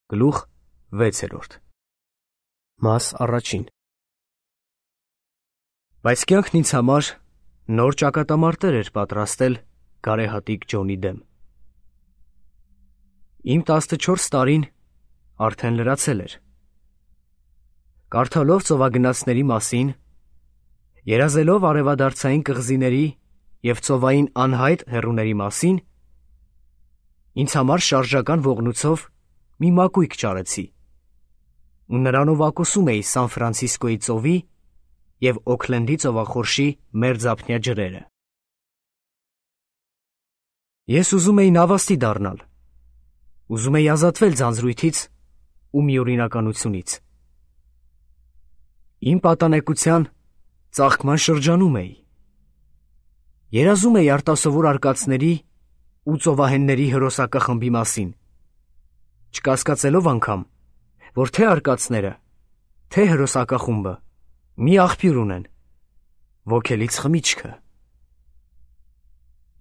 Գլուխ 6 Մաս առաջին Բայց կյանքն ինձ համար նոր ճակատամարտեր էր պատրաստել գարեհատիկ Ջոնի դեմ։ Իմ 14 տարին արդեն լրացել էր։ Կարդալով ծովագնացների մասին, երազելով արևադարձային կղզիների և ծովային անհայտ հեռուների մասին, ինձ համար շարժական ողնույթով մի մակույկ ճարեցի ու նրանով ակոսում էի Սան Ֆրանցիսկոյի ծովի և Օքլենդի ծովախորշի մերձափնյա ջրերը։ Ես ուզում էի նավաստի դառնալ, ուզում էի ազատվել ձանձրույթից ու միօրինականությունից։ Իմ պատանեկության ծաղկման շրջանում էի։ Երազում էի արտասովոր արկածների ու ծովահենների հրոսակախմբի մասին, չկասկածելով անգամ, որ թե արկածները, թե հրոսակախումբը մի աղբյուր ունեն՝ ոգելից խմիչքը։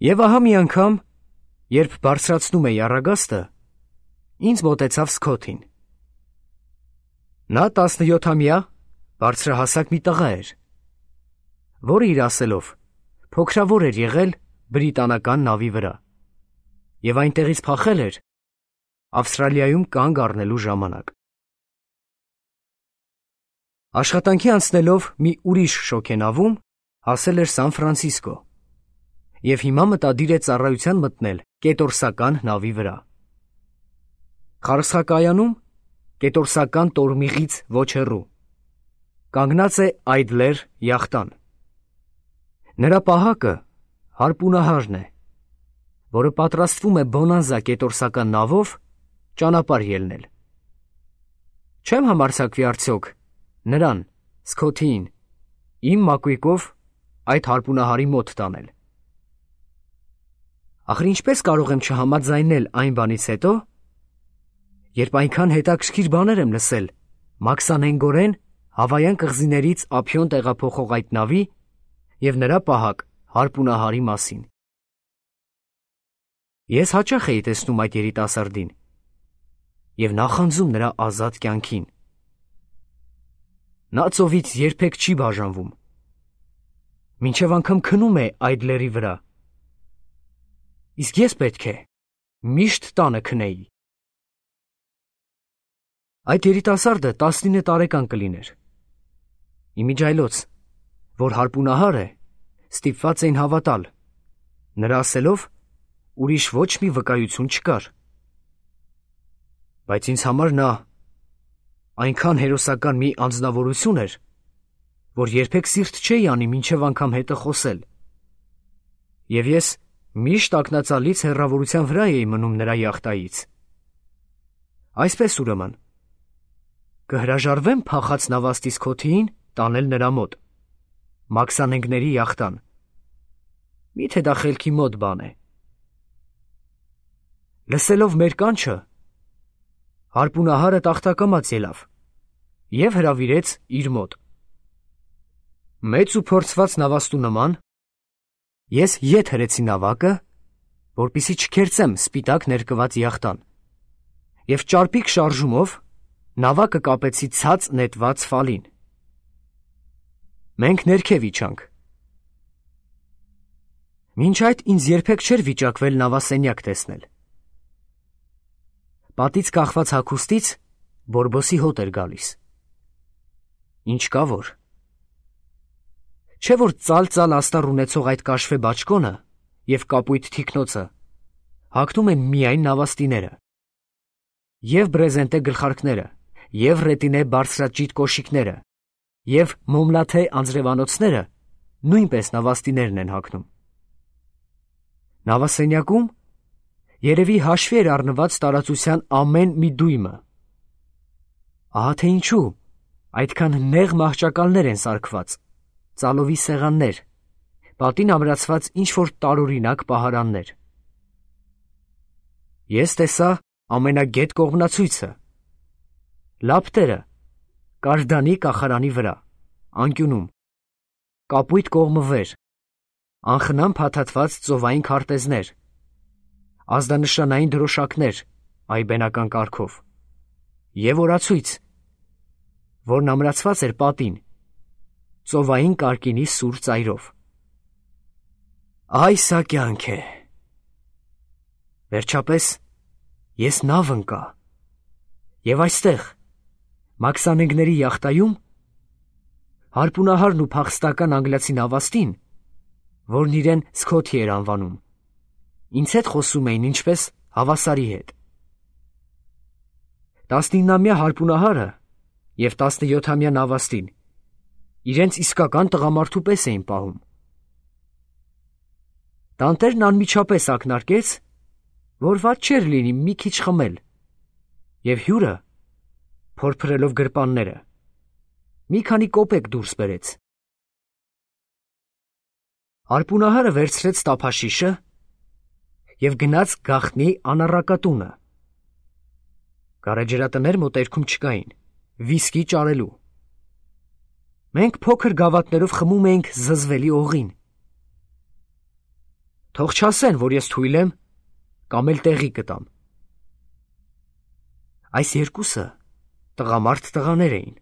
Եվ ահա մի անգամ, երբ բարձրացնում էի առագաստը, ինձ մոտեցավ Սքոթին։ Նա 17-ամյա բարձրահասակ մի տղա էր, որը իր ասելով փոքրավոր էր եղել բրիտանական նավի վրա և այնտեղից փախել էր Ավստրալիայում կանգ առնելու ժամանակ։ Աշխատանքի անցնելով մի ուրիշ շոգենավում հասել էր Սան Ֆրանցիսկո և հիմա մտադիր է ծառայության մտնել կետորսական նավի վրա։ Խարսխակայանում կետորսական տորմիղից ոչ հեռու կանգնած է Այդլեր յախտան։ Նրա պահակը հարպունահարն է, որը պատրաստվում է Բոնանզա կետորսական նավով ճանապարհ ելնել։ Չեմ համարձակվի արդյոք նրան, Սքոթիին, իմ մակույկով այդ հարպունահարի մոտ տանել։ Ախր ինչպես կարող եմ չհամաձայնել այն բանից հետո, երբ այնքան հետաքրքիր բաներ եմ լսել մաքսանենգորեն Հավայան կղզիներից ափիոն տեղափոխող այդ նավի և նրա պահակ հարպունահարի մասին։ Ես հաճախ էի տեսնում այդ երիտասարդին և նախանձում նրա ազատ կյանքին։ Նա ծովից երբեք չի բաժանվում, մինչև անգամ քնում է Այդլերի վրա, իսկ ես պետք է միշտ տանը քնեի։ Այդ երիտասարդը 19 տարեկան կլիներ։ Իմիջայլոց, որ հարպունահար է, ստիպված էին հավատալ, նրա ասելով ուրիշ ոչ մի վկայություն չկար։ Բայց ինձ համար նա այնքան հերոսական մի անձնավորություն էր, որ երբեք սիրտ չէի անի մինչև անգամ հետը խոսել, և ես միշտ ակնածալից հեռավորության վրա էի մնում նրա յախտայից։ Այսպես ուրեմն, կհրաժարվե՞մ փախած նավաստի Սքոթիին տանել նրա մոտ, մաքսանենգների յախտան։ Միթե դա խելքի մոտ բան է։ Լսելով մեր կանչը, հարպունահարը տախտակամած ելավ և հրավիրեց իր մոտ։ Մեծ ու փորձված նավաստու նման, ես ետ հրեցի նավակը, որպեսզի չքերծեմ սպիտակ ներկված յախտան, և ճարպիկ շարժումով նավակը կապեցի ցած նետված ֆալին։ Մենք ներքև իջանք։ Մինչ այդ ինձ երբեք չէր վիճակվել նավասենյակ տեսնել։ Պատից կախված հագուստից բորբոսի հոտ էր գալիս։ Ինչ կա որ։ Չէ որ ծալ-ծալ աստառ ունեցող այդ կաշվե բաճկոնը և կապույտ թիկնոցը հագնում են միայն նավաստիները։ Եվ բրեզենտե գլխարկները, և ռետինե բարձրաճիտ կոշիկները, և մոմլաթե անձրևանոցները նույնպես նավաստիներն են հագնում։ Նավասենյակում երևի հաշվի էր առնված տարածության ամեն մի դույմը։ Ահա թե ինչու այդքան նեղ մահճակալներ են սարքված, ծալովի սեղաններ, պատին ամրացված ինչ-որ տարօրինակ պահարաններ։ Ես տեսա ամենագետ կողմնացույցը։ Լապտերը կարդանի կախարանի վրա, անկյունում, կապույտ կողմը վեր, անխնամ փաթաթված ծովային քարտեզներ, ազդանշանային դրոշակներ այբենական կարգով, և օրացույց, որն ամրացված էր պատին, ծովային կարկինի սուր ծայրով։ Այ սա կյանք է։ Վերջապես ես նավ ընկա, և այստեղ, մաքսանենգների յախտայում, հարպունահարն ու փախստական անգլիացի նավաստին, որն իրեն Սքոթի էր անվանում, ինձ հետ խոսում էին ինչպես հավասարի հետ։ 19-ամյա հարպունահարը և 17-ամյա նավաստին իրենց իսկական տղամարդու պես էին պահում։ Տանտերն անմիջապես ակնարկեց, որ վատ չէր լինի մի քիչ խմել, և հյուրը, փորփրելով գրպանները, մի քանի կոպեկ դուրս բերեց։ Հարպունահարը վերցրեց տափաշիշը և գնաց գաղտնի անառակատունը։ Գարեջրատներ մոտերքում չկային, վիսկի ճարելու։ Մենք փոքր գավաթներով խմում էինք զզվելի օղին։ Թող չասեն, որ ես թույլ եմ կամ էլ տեղի կտամ։ Այս երկուսը տղամարդ տղաներ էին,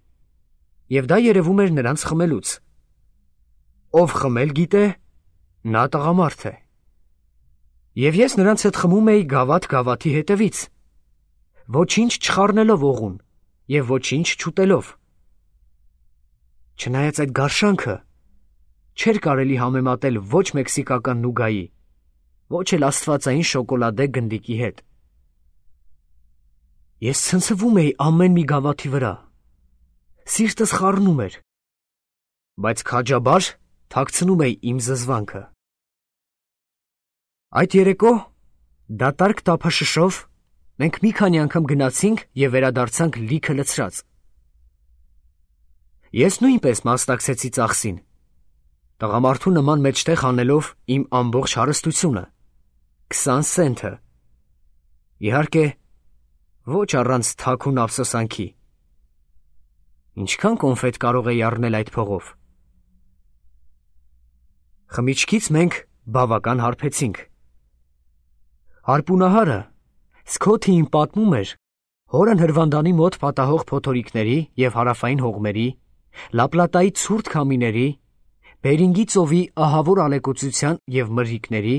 և դա երևում էր նրանց խմելուց։ Ով խմել գիտե, նա տղամարդ է։ Եվ ես նրանց հետ խմում էի գավաթ գավաթի հետևից, ոչինչ չխառնելով օղուն և ոչինչ չուտելով։ Չնայած այդ գարշանքը չէր կարելի համեմատել ոչ մեքսիկական նուգայի, ոչ էլ աստվածային շոկոլադե գնդիկի հետ։ Ես ցնցվում էի ամեն մի գավաթի վրա, սիրտս խառնում էր, բայց քաջաբար թաքցնում էի իմ զզվանքը։ Այդ երեկո դատարկ տափաշշով մենք մի քանի անգամ գնացինք և վերադարձանք լիքը լցրած։ Ես նույնպես մասնակցեցի ծախսին, տղամարդու նման մեջտեղ անելով իմ ամբողջ հարստությունը, 20 սենթը, իհարկե, ոչ առանց թաքուն ափսոսանքի։ Ինչքան կոնֆետ կարող էի առնել այդ փողով։ Խմիչքից մենք բավական հարբեցինք։ Հարպունահարը Սքոթիին պատմում էր հորն հրվանդանի մոտ պատահող փոթորիկների և հարավային հողմերի, Լապլատայի ցուրտ քամիների, Բերինգի ծովի ահավոր ալեկոծության և մրրիկների,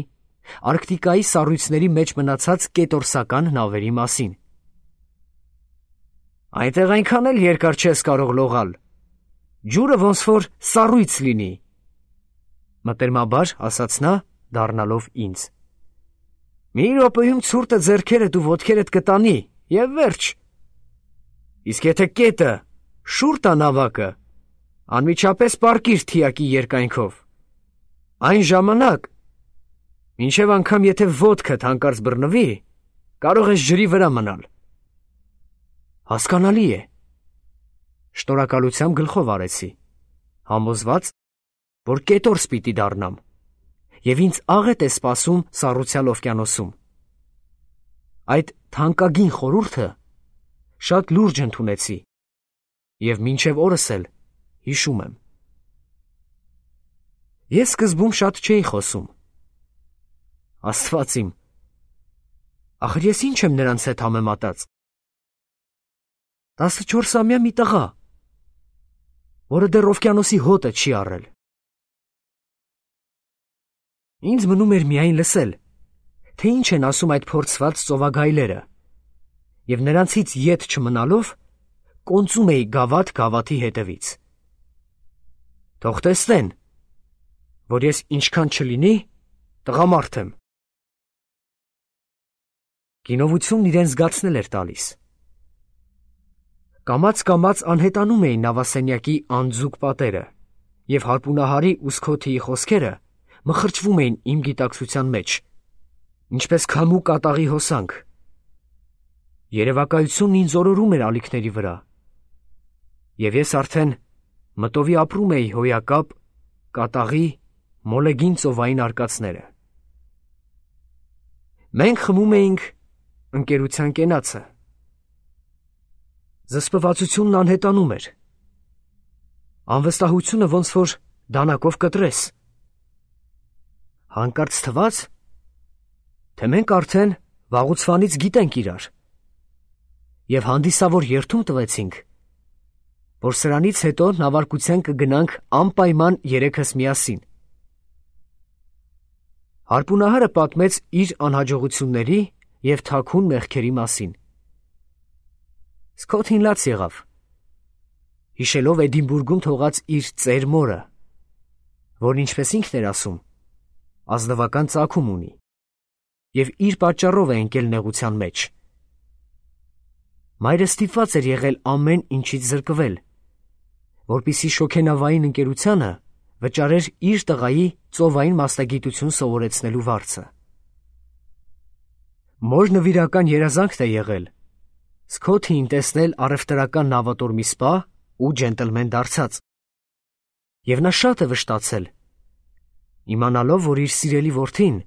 Արկտիկայի սառույցների մեջ մնացած կետորսական նավերի մասին։ Այնտեղ այնքան էլ երկար չես կարող լողալ, ջուրը ոնց որ սառույց լինի, մտերմաբար ասաց նա, դառնալով ինձ։ Մի րոպեում ցուրտը ձեռքերդ ու ոտքերդ կտանի, և վերջ։ Իսկ եթե կետը շուռ տա նավակը, անմիջապես պառկիր թիակի երկայնքով։ Այն ժամանակ, մինչև անգամ եթե ոտքդ հանկարծ բռնվի, կարող ես ջրի վրա մնալ։ Հասկանալի է։ Շնորհակալությամբ գլխով արեցի, համոզված, որ կետորս պիտի դառնամ, և ինձ աղետ է սպասում սառուցյալ օվկիանոսում։ Այդ թանկագին խորհուրդը շատ լուրջ ընդունեցի, և մինչև օրս էլ հիշում եմ։ Ես սկզբում շատ չէի խոսում։ Աստված իմ, ախր ես ինչ եմ նրանց հետ համեմատած։ 14-ամյա մի տղա, որը դեռ օվկիանոսի հոտը չի առել։ Ինձ մնում էր միայն լսել, թե ինչ են ասում այդ փորձված ծովագայլերը, և նրանցից ետ չմնալով կոնծում էի գավաթ գավաթի հետևից։ Թող տեսնեն, որ ես ինչքան չլինի, տղամարդ եմ։ Գինովությունն իրեն զգացնել էր տալիս։ Կամաց-կամաց անհետանում էին նավասենյակի անձուկ պատերը, և հարպունահարի ու Սքոթիի խոսքերը մխրճվում էին իմ գիտակցության մեջ, ինչպես քամու կատաղի հոսանք։ Երևակայությունն ինձ օրորում էր ալիքների վրա, և ես արդեն մտովի ապրում էի հոյակապ, կատաղի, մոլեգին ծովային արկածները։ Մենք խմում էինք ընկերության կենացը։ Զսպվածությունն անհետանում էր։ Անվստահությունը ոնց որ դանակով կտրես։ Հանկարծ թվաց, թե մենք արդեն վաղուց վանից գիտենք իրար, և հանդիսավոր երդում տվեցինք, որ սրանից հետո նավարկության կգնանք անպայման երեքս միասին։ Հարպունահարը պատմեց իր անհաջողությունների և թաքուն մեղքերի մասին։ Սքոթին լաց եղավ, հիշելով Էդինբուրգում թողած իր ծեր մորը, որն ինչպես ինքն էր ասում, ազնվական ծագում ունի, և իր պատճառով է ընկել նեղության մեջ։ Մայրը ստիպված էր եղել ամեն ինչից զրկվել, որպեսզի շոգենավային ընկերությանը վճարեր իր տղայի ծովային մասնագիտություն սովորեցնելու վարձը։ Մոր նվիրական երազանքն է եղել Սքոթիին տեսնել առևտրական նավատորմի սպա ու ջենտլմեն դարձած, և նա շատ է վշտացել, իմանալով, որ իր սիրելի որդին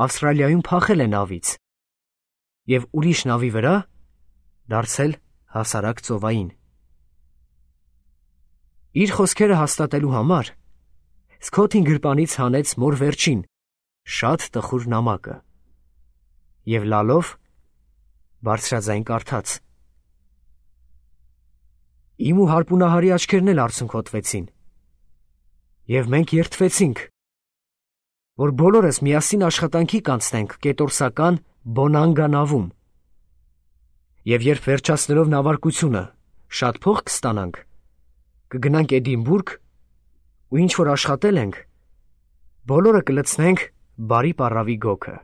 Ավստրալիայում փախել է նավից և ուրիշ նավի վրա դարձել հասարակ ծովային։ Իր խոսքերը հաստատելու համար Սքոթին գրպանից հանեց մոր վերջին, շատ տխուր նամակը և լալով բարձրաձայն կարդաց. Իմ ու հարպունահարի աչքերն էլ արցունքոտվեցին, և մենք երդվեցինք, որ բոլորս միասին աշխատանքի կանցնենք կետորսական Բոնանգա նավում, և երբ վերջացնելով նավարկությունը շատ փող կստանանք, կգնանք Էդինբուրգ ու ինչ որ աշխատել ենք, բոլորը կլցնենք բարի պառավի գոգը։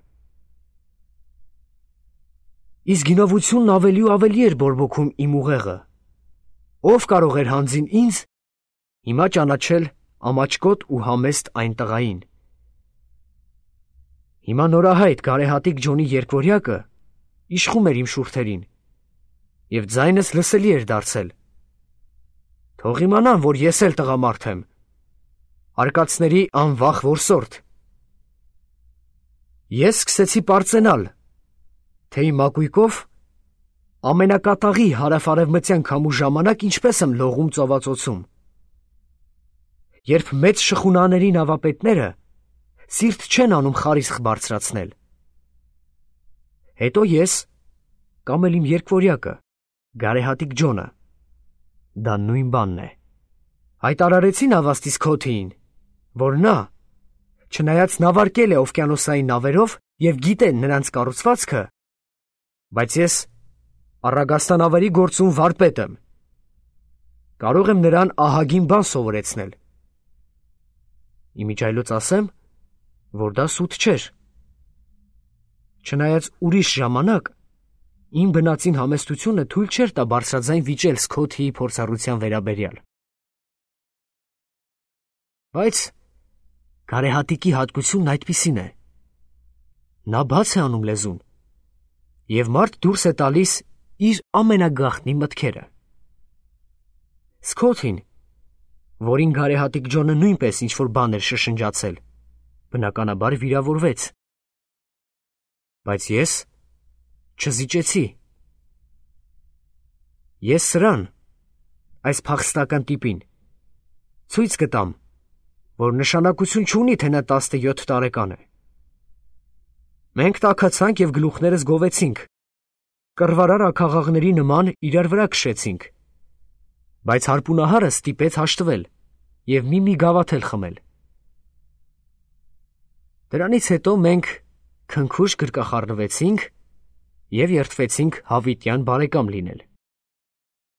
Իսկ գինովությունն ավելի ու ավելի էր բորբոքում իմ ուղեղը, ով կարող էր հանձին ինձ հիմա ճանաչել ամաչկոտ ու համեստ այն տղային։ Հիմա նորահայտ գարեհատիկ Ջոնի երկվորյակը իշխում էր իմ շուրթերին, և ձայնս լսելի էր դարձել։ Թող իմանան, որ ես էլ տղամարդ եմ, արկածների անվախ որսորդ։ Ես սկսեցի պարծենալ, թե իմ մակույկով ամենակատաղի հարավ-արևմտյան քամու ժամանակ ինչպես եմ լողում ծովածոցում, երբ մեծ շխունաների նավապետները սիրտ չեն անում խարիսխ բարձրացնել։ Հետո ես, կամ էլ իմ երկվորյակը, գարեհատիկ Ջոնը, դա նույն բանն է, հայտարարեցի նավաստի Սքոթիին, որ նա, չնայած նավարկել է օվկիանոսային նավերով և գիտե նրանց կառուցվածքը, բայց ես առագաստանավերի գործում վարպետ եմ, կարող եմ նրան ահագին բան սովորեցնել։ Իմիջիայլոց ասեմ, որ դա սուտ չէր։ Չնայած ուրիշ ժամանակ իմ բնածին համեստությունը թույլ չէր տա բարձրաձայն վիճել Սքոթիի փորձառության վերաբերյալ։ Բայց գարեհատիկի հատկությունն այդպիսին է. նա բաց է անում լեզուն, և մարդ դուրս է տալիս իր ամենագաղտնի մտքերը։ Սքոթին, որին գարեհատիկ Ջոնը նույնպես ինչ-որ բան էր շշնջացել, բնականաբար վիրավորվեց։ Բայց ես չզիջեցի։ Ես սրան, այս փախստական տիպին, ցույց կտամ, որ նշանակություն չունի, թե նա 17 տարեկան է։ Մենք տաքացանք և գլուխներս գովեցինք, կռվարար աքաղաղների նման իրար վրա քշեցինք, բայց հարպունահարը ստիպեց հաշտվել և մի գավաթել խմել։ Դրանից հետո մենք քնքուշ գրկախառնվեցինք և երդվեցինք հավիտյան բարեկամ լինել։